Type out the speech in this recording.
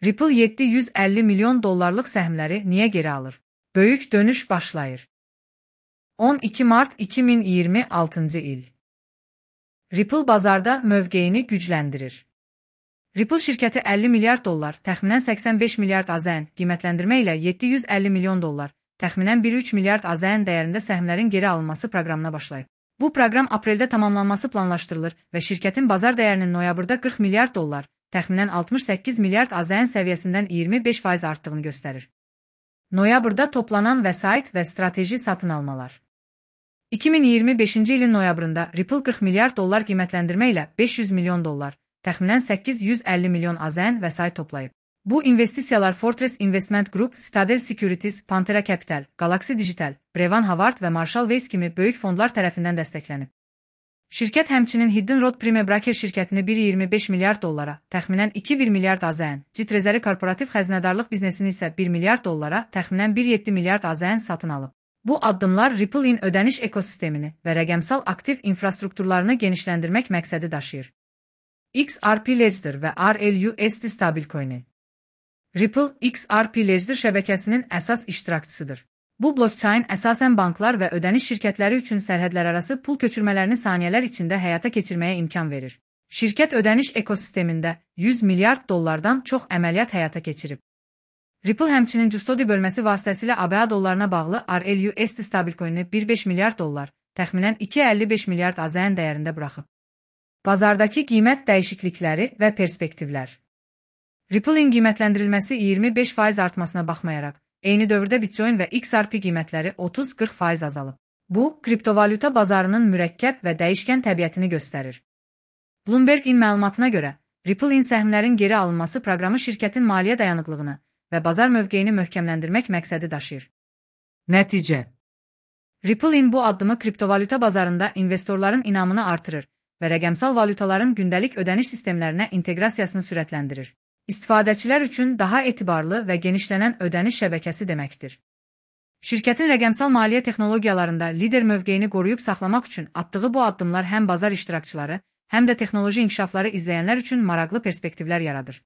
Ripple 750 milyon dollarlıq səhmləri niyə geri alır? Böyük dönüş başlayır. 12 Mart 2026 il. Ripple bazarda mövqeyini gücləndirir. Ripple şirkəti 50 milyard dollar, təxminən 85 milyard AZN qiymətləndirmə ilə 750 milyon dollar, təxminən 1,3 milyard AZN dəyərində səhmlərin geri alınması proqramına başlayıb. Bu proqram apreldə tamamlanması planlaşdırılır və şirkətin bazar dəyərinin noyabrda 40 milyard dollar, təxminən 68 milyard AZN səviyyəsindən 25% artdığını göstərir. Noyabrda toplanan vəsait və strateji satın almalar. 2025-ci ilin noyabrında Ripple 40 milyard dollar qiymətləndirmə ilə 500 milyon dollar, təxminən 850 milyon AZN vəsait toplayıb. Bu investisiyalar Fortress Investment Group, Citadel Securities, Pantera Capital, Galaxy Digital, Brevan Howard və Marshall Wace kimi böyük fondlar tərəfindən dəstəklənib. Şirkət həmçinin Hidden Road Prime Broker şirkətini 1,25 milyard dollara, təxminən 2,1 milyard AZN, Cit Rezervi korporativ xəzinədarlıq biznesini isə 1 milyard dollara, təxminən 1,7 milyard AZN satın alıb. Bu addımlar Ripple-in ödəniş ekosistemini və rəqəmsal aktiv infrastrukturlarını genişləndirmək məqsədi daşıyır. XRP Ledger və RLUSD stablecoini. Ripple, XRP Ledger şəbəkəsinin əsas iştirakçısıdır. Bu blockchain əsasən banklar və ödəniş şirkətləri üçün sərhədlərarası pul köçürmələrini saniyələr içində həyata keçirməyə imkan verir. Şirkət ödəniş ekosistemində 100 milyard dollardan çox əməliyyat həyata keçirib. Ripple həmçinin Custody bölməsi vasitəsilə ABA dollarına bağlı RLUSD stablecoinini 1,5 milyard dollar, təxminən 2,55 milyard AZN dəyərində buraxıb. Bazardakı qiymət dəyişiklikləri və perspektivlər. Ripple-in qiymətləndirilməsi 25% artmasına baxmayaraq, eyni dövrdə Bitcoin və XRP qiymətləri 30-40% azalıb. Bu, kriptovalyuta bazarının mürəkkəb və dəyişkən təbiətini göstərir. Bloomberg-in məlumatına görə, Ripple-in səhmlərin geri alınması proqramı şirkətin maliyyə dayanıqlığını və bazar mövqeyini möhkəmləndirmək məqsədi daşıyır. Nəticə. Ripple-in bu addımı kriptovalyuta bazarında investorların inamını artırır və rəqəmsal valyutaların gündəlik ödəniş sistemlərinə inteqrasiyasını sürətləndirir. İstifadəçilər üçün daha etibarlı və genişlənən ödəniş şəbəkəsi deməkdir. Şirkətin rəqəmsal maliyyə texnologiyalarında lider mövqeyini qoruyub saxlamaq üçün atdığı bu addımlar həm bazar iştirakçıları, həm də texnoloji inkişafları izləyənlər üçün maraqlı perspektivlər yaradır.